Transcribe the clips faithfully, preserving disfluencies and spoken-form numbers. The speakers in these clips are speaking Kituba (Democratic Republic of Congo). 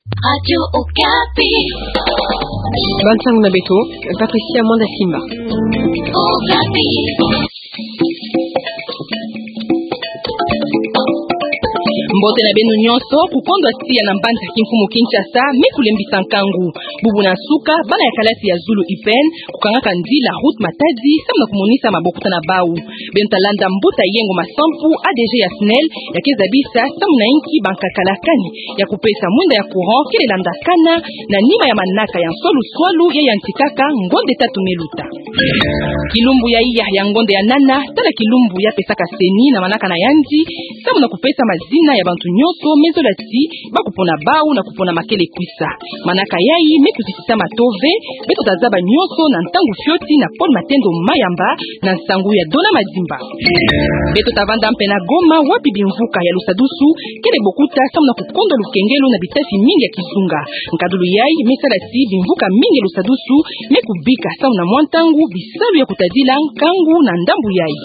Radio Okapi. Bansango na beto, Patricia Mwanda Simba. Okapi. Mbote na beno nyonso. Kukondwa tiya na mbanza kimfumu Kinshasa me kulembisa nkangu. Bubu na nsuka, bana ya kalasi ya zulu U P N kukangaka nzila route Matadi samu na kumonisa mabokota na bau. Beno ta landa mbuta Yengo Masampu, A D G ya SNEL, ya ke zabisa samu na inki bankaka la kani ya kupesa mwinda ya courant kele landakana na nima ya manaka ya nswaluswalu ya yantikaka ngonde tatu me luta. Kilumbu ya iya ya ngonde ya nana, tala kilumbu ya pesaka CENI na manaka na yandi samu na kupesa mazina ya bantu nyonso me zola ti ba kupona bau na kupona ma kele kwisa. Manaka yayi me kutisisa mato ve. Beto ta zaba nyonso na ntangu fioti na Paul Matendo Mayamba na nsangu ya Dona Madimba. Beto ta vanda mpe na Goma, wapi bimvuka ya lusadusu kele bokuta samu na kukondwa lukengelo na bitasi mingi ya kizunga. Nkadulu yayi me sala ti bimvuka mingi ya lusadusu me kubika samu na mwa ntangu bisalu ya kutadila nkangu na ndambu yayi.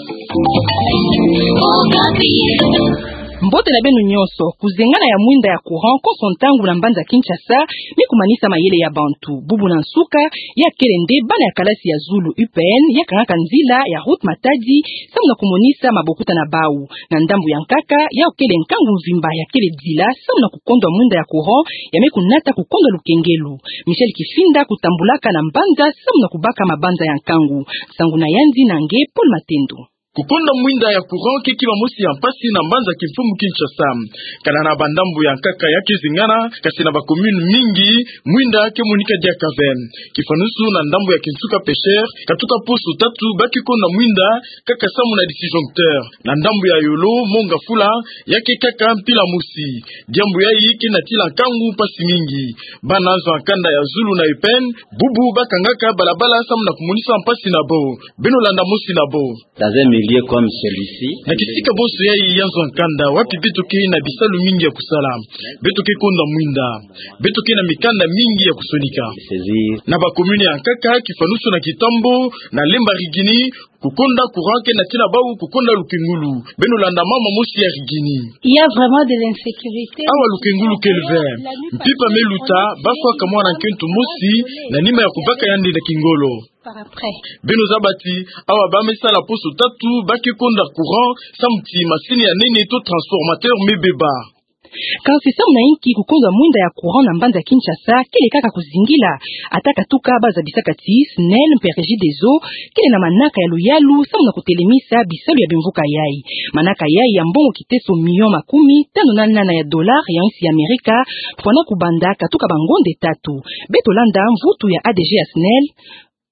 Mbote na beno nyonso. Kuzengana ya mwinda ya courant konso ntangu na mbanza Kinshasa me kumanisa mayele ya bantu. Bubu na nsuka, ya kele nde bana ya kalasi ya zulu U P N ya kangaka nzila ya route Matadi samu na kumonisa mabokota na bau. Na ndambu ya nkaka, ya kele nkangu mvimba ya kele dila samu na kukondwa mwinda ya courant ya me kunata kukondwa lukengelo. Michel Kifinda kutambulaka na mbanza samu na kubaka mabanza ya nkangu. Nsangu na yandi na nge Paul Matendo. Kukondwa mwinda ya courant ke kima mosi ya mpasi na mbanza kimfumu Kinshasa. Kana na bandambu ya nkaka ya ke zengana, kasi na ba commune mingi, mwinda ke monika diaka ve. Kifanusu na ndambu ya kinsuka Pêcheur, katuka poso tatu ba ke kondwa mwinda kaka samu na disjoncteur. Na ndambu ya yolo, Mont Ngafula, ya ke kaka mpila mosi. Diambu yayi ke natila nkangu mpasi mingi. Bana zo ya nkanda ya zulu na U P N, bubu ba kangaka balabala samu na kumonisa mpasi na bo. Beno landa mosi na bo. Dans un milieu comme celui-ci, na kisika bonso yayi ya nzo ya nkanda, wapi beto ke na bisalu mingi ya kusala, beto ke kondwa mwinda, beto ke na mikanda mingi ya kusonika. Saisir. Na ba commune ya nkaka, kifanusu na Kitambo, na Lemba Rigini, kukondwa courant ke natina bau kukondwa lukengulu. Beno landa mama mosi ya Rigini. Il y a vraiment de l'insécurité. Awa lukengulu kele ve. Mpimpa me luta, ba fwaka mwana nkento mosi, na nima ya kubaka yandi na kingolo. Par après. Beno zaba ti, awa ba me sala poso tatu, ba ke kondwa courant, samu ti masini ya nene to transformateur me beba. Kansi samu na inki kukondwa mwinda ya courant na mbanza Kinshasa kele kaka kuzingila? Ata katuka ba zabisaka ti SNEL mpe Regideso kele na manaka ya luyalu samu na kutelemisa bisalu ya bimvuka yayi. Manaka yayi ya mbongo kiteso million makumi tanu na nana ya dollar ya insi ya Amerika, fwana kubanda katuka bangonde tatu. Beto landa mvutu ya A D G ya SNEL,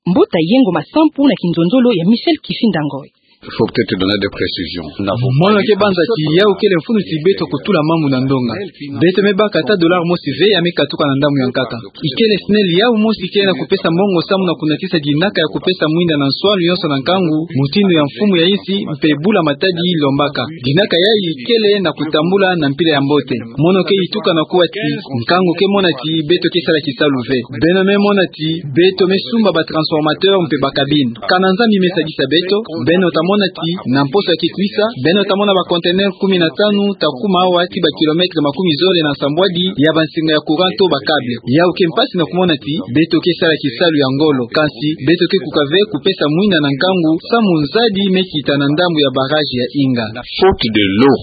Mbuta Yengo Masampu na kinzonzolo ya Michel Kifinda Ngoy. Il faut peut-être donner des précisions. Mono ke banza ti yawu kele mfunu ti beto kutula mambu na ndonga. Beto me baka ata dollar mosi ve ya me katuka na ndambu ya nkaka. Ikele SNEL yawu mosi kele na kupesa mbongo samu na kunatisa dinaka ya kupesa mwinda na nswalu yonso na nkangu, mutindu ya mfumu ya insi mpe bula Matadi lombaka. Dinaka yayi kele na kutambula na mpila ya mbote. Mono ke ituka na kuwa ti nkangu ke mona ti beto ke sala kisalu ve. Beno me mona ti beto me sumba ba transformateur mpe ba cabine. Kana Nzambi me sadisa beto, beno ta mona ti na mposo ya ke kwisa, beno ta mona ba conteneur kumi na tanu ta kuma awa ti ba kilomètre makumi zole na nsambwadi ya bansinga ya courant to ba câble. Yawu ke mpasi na kumona ti beto ke sala kisalu ya ngolo, kansi beto ke kuka ve kupesa mwinda na nkangu samu nzadi me kita na ndambu ya barrage ya Inga. Faute de l'eau.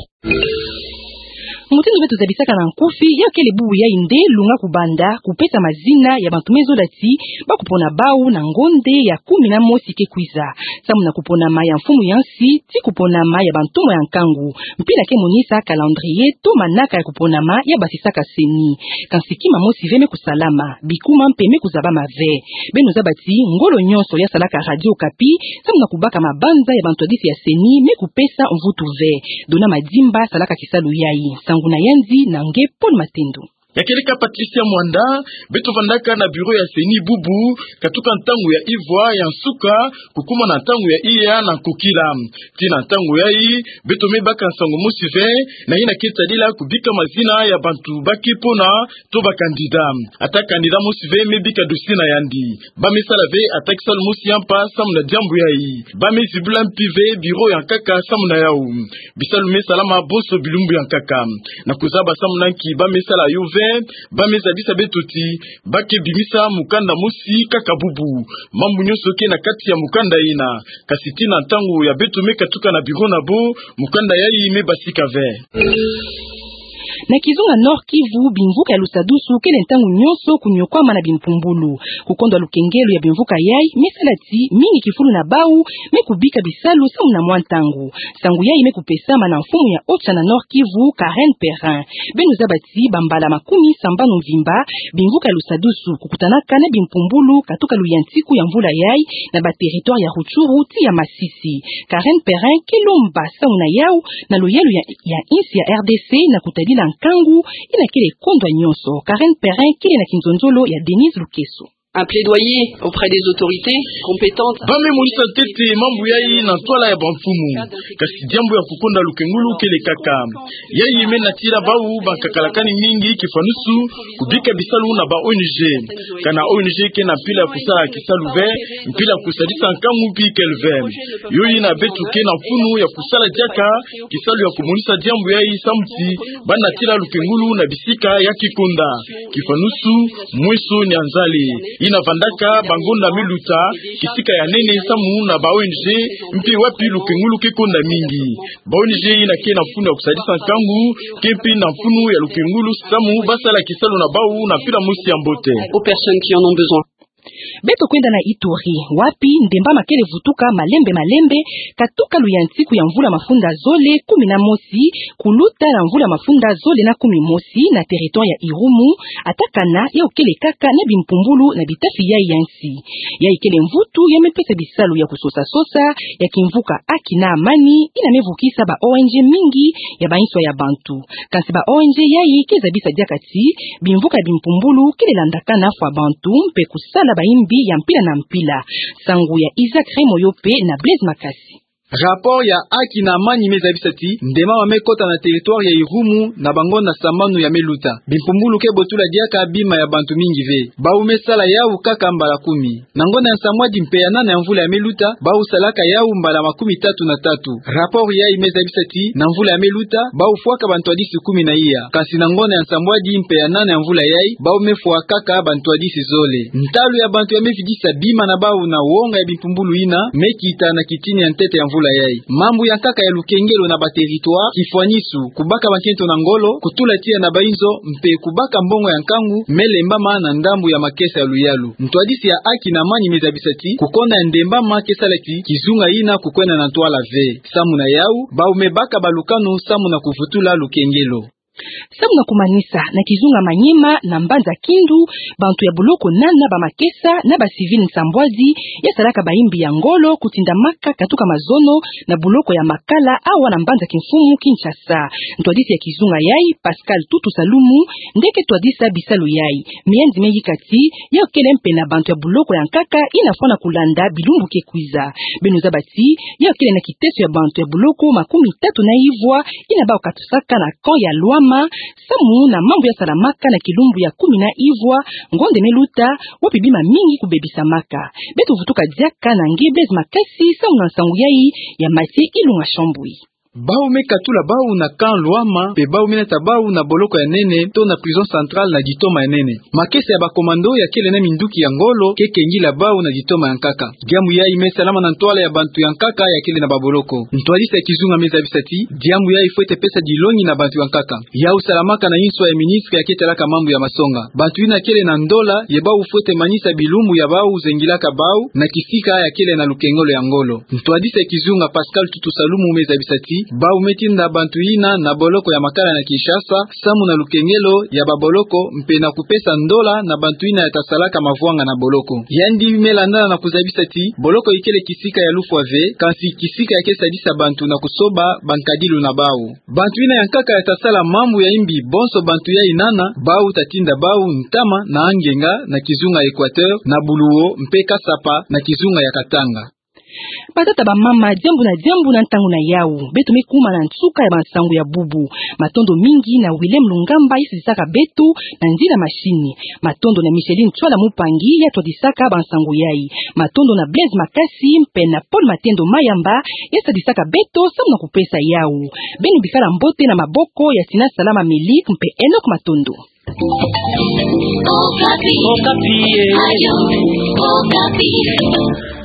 Mutindu beto zabisaka na nkufi, ya kele bubu yayi nde lunga kubanda kupesa mazina ya bantu me zola ti ba kupona bawu na ngonde ya kumi na mosi ke kwiza, samu na kuponama ya mfumu ya nsi ti kuponama ya bantumwa ya nkangu. Mpila ke monisa calendrier to manaka ya kuponama ya basisaka CENI. Kansi kima mosi ve me kusalama, bikuma mpe me kuzabama ve. Beno zaba ti ngolo nyonso ya salaka Radio Okapi samu na kubaka mabanza ya bantwadisi ya CENI me kupesa mvutu ve. Dona Madimba salaka kisalu yayi. Nsangu na yandi na nge Paul Matendo. Ya kele ka Patricia Mwanda. Beto vandaka na bureau ya CENI bubu, katuka ntangu ya ivwa ya nsuka kukuma na ntangu ya iya na nkokila. Ti na ntangu yayi, beto me baka nsangu mosi ve na yina ke tadila kubika mazina ya bantu ba ke pona to ba candidat. Ata candidat mosi ve me bika dossier na yandi. Ba me sala ve ata kisalu mosi ya mpa samu na diambu yayi. Ba me zibula mpi ve bureau ya nkaka samu na yawu. Bisalu me salama bonso bilumbu ya nkaka. Na kuzaba samu na nki ba me sala yo ve, Ba me zabisa beto ti ba ke bimisa mukanda mosi kaka bubu. Mambu nyonso ke na kati ya mukanda ina. Kasi tii na ntangu ya beto me katuka na bureau na bo, mukanda yayi me basika ve. Na kizunga Nord-Kivu, bimvuka ya Lusadusu kele ntangu nyonso kunyokwama na bimpumbulu. Kukondwa lukengelo ya bimvuka yayi me sala ti mingi kifulu na bawu me kubika bisalu samu na mwa ntangu. Nsangu yayi me kupesama na mfumu ya OCHA na Nord-Kivu, Karen Perrin. Beno zaba ti bambala makumi sambanu mvimba, bimvuka ya Lusadusu kukutanaka na bimpumbulu katuka luyantiku ya mvula yayi na ba territoire ya Rutshuru tii ya Masisi. Karen Perrin ke lomba samu na yawu na luyalu ya, ya insi ya RDC na kutadila nkangu ina kele kondwa nyonso. Karen Perrin kele na kinzonzolo ya Denise Lukeso. Un plaidoyer auprès des autorités compétentes. Ba me monisa ntete mambu yayi na ntwala ya bamfumu. Kasi diambu ya kukonda lukengulu kele kaka. Yayi me natila bawu bankakalakani mingi kifanusu kubika bisalu na ba ONG. Kana ONG ke na mpila ya kusala kisalu ve, mpila ya kusadisa nkangu mpi kele ve. Yo ina beto ke na mfunu ya kusala diaka kisalu ya kumonisa diambu yayi samu ti ba natila lukengulu na bisika ya kikonda. Kifanusu, Mweso Nyanzale, ina vandaka bangonda me luta, kisika ya nene samu na ba ONG, mpe wapi lukengulu ke konda mingi. Ba ONG ina ke na mfunu ya kusadisa nkangu, ke mpe na mfunu ya lukengulu samu ba sala kisalu na bawu na mpila mosi ya mbote. Aux personnes qui en ont besoin. Beto kwenda na Ituri, wapi ndemba ma kele vutuka malembe malembe, katuka luyantiku ya mvula mafunda zole kumi na mosi, kuluta na mvula mafunda zole na kumi mosi na territoire ya Irumu, ata kana yawu kele kaka na bimpumbulu na bitafi yayi ya nsi. Yayi kele mvutu ya me pesa bisalu ya kusosa-sosa ya kimvuka Haki na Amani, ina me vukisa ba ONG mingi ya ba inswa ya bantu. Kansi ba ONG yayi ke zabisa diaka ti bimvuka ya bimpumbulu kele landakana fwa bantu mpe kusala bayimbi ya mpila na mpila. Nsangu ya Isaac Remoyo mpe na Blaise Makasi. Rapport ya Haki na Amani me zabisa ti ndemba ma me kota na territoire ya Irumu na bangonda sambanu ya me luta. Bimpumbulu ke botula diaka bima ya bantu mingi ve. Bawu me sala yawu kaka mbala kumi. Na ngonda ya nsambwadi mpe ya nana ya mvula ya me luta, bawu salaka yawu mbala makumi tatu na tatu. Rapport yayi me zabisa ti na mvula ya me luta, bawu fwaka bantwadisi kumi na iya. Kansi na ngonda ya nsambwadi mpe ya nana ya mvula yayi, bawu me fwa kaka bantwadisi zole. Ntalu ya bantu ya me vidisa bima na bawu na wonga ya bimpumbulu ina me kita na kitini ya ntete ya mvula yayi. Mambu ya nkaka ya lukengelo na ba territoire, kifwanisu, kubaka bankento na ngolo, kutula tiya na bayinzo, mpe kubaka mbongo ya nkangu me lembama na ndambu ya makesa ya luyalu. Ntwadisi ya Haki na Amani me zabisa ti kukonda ya ndemba ma ke sala ti kizunga ina kukwenda na ntwala ve. Samu na yawu, bawu me baka balukanu samu na kuvutula lukengelo. Samu na kumanisa, na kizunga Maniema na mbanza Kindu, bantu ya boloko nana ba makesa na ba civil nsambwadi ya salaka bayimbi ya ngolo kutindamaka katuka mazono na boloko ya Makala awa na mbanza kimfumu Kinshasa. Ntwadisi ya kizunga yayi, Pascal Tutu Salumu, nde ke twadisa bisalu yayi. Miyanzi me yika ti yawu kele mpe na bantu ya boloko ya nkaka ina fwana kulanda bilumbu ke kwiza. Beno zaba ti yawu kele na kiteso ya bantu ya boloko makumi tatu na ivwa ina bawu katusaka na camp ya Lwama, samu na mambu ya salamaka na kilumbu ya kumi na ivwa ngonda me luta, wapi bima mingi kubebisamaka. Beto vutuka diaka na nge Blaise Makasi samu na nsangu yayi ya Mathieu Ilunga Shambui. Bawu me katula bawu na camp Lwama, mpe bawu me nata bawu na boloko ya nene, to na prison centrale na ditoma ya nene. Makesa ya ba commando ya kele na minduki ya ngolo ke kengila bawu na ditoma ya nkaka. Diambu yayi me salama na ntwala ya bantu ya nkaka ya kele na ba boloko. Ntwadisi ya kizunga me zabisa ti diambu yayi fwete pesa dilongi na bantu ya nkaka. Yawu salamaka na inswa ya ministre ya ke talaka mambu ya masonga. Bantu ina kele na ndola ye bawu fwete manisa bilumbu ya bawu zengilaka bawu na kisika ya kele na lukengelo ya ngolo. Ntwadisi ya kizunga Pascal Tutu Salumu me zabisa ti bawu me tinda bantu ina na boloko ya Makala na Kinshasa samu na lukengelo ya ba boloko mpe na kupesa ndola na bantu ina ya ta salaka mavwanga na boloko. Yandi me landana na kuzabisa ti boloko ikele kisika ya lufwa ve, kansi kisika ya ke sadisa bantu na kusoba bankadilu na bawu. Bantu ina ya nkaka ya ta sala mambu ya imbi bonso bantu yayi nana, bawu ta tinda bawu ntama na angenga na kizunga Equateur, na Buluwo mpe Kasapa na kizunga ya Katanga. Batata, bamama, diambu na diambu na ntangu na yawu. Beto me kuma na nsuka ya bansangu ya bubu. Matondo mingi na Willem Lungamba ya sadisaka beto na nzila machine. Matondo na Micheline Tswala Mupangi ya twadisaka bansangu yayi. Matondo na Blaise Makasi mpe na Paul Matendo Mayamba ya sadisaka beto samu na kupesa yawu. Beno bikala mbote na maboko ya Sina Salama Milik mpe Enoch Matondo. Okapi. Okapi e. Ajo. Okapi.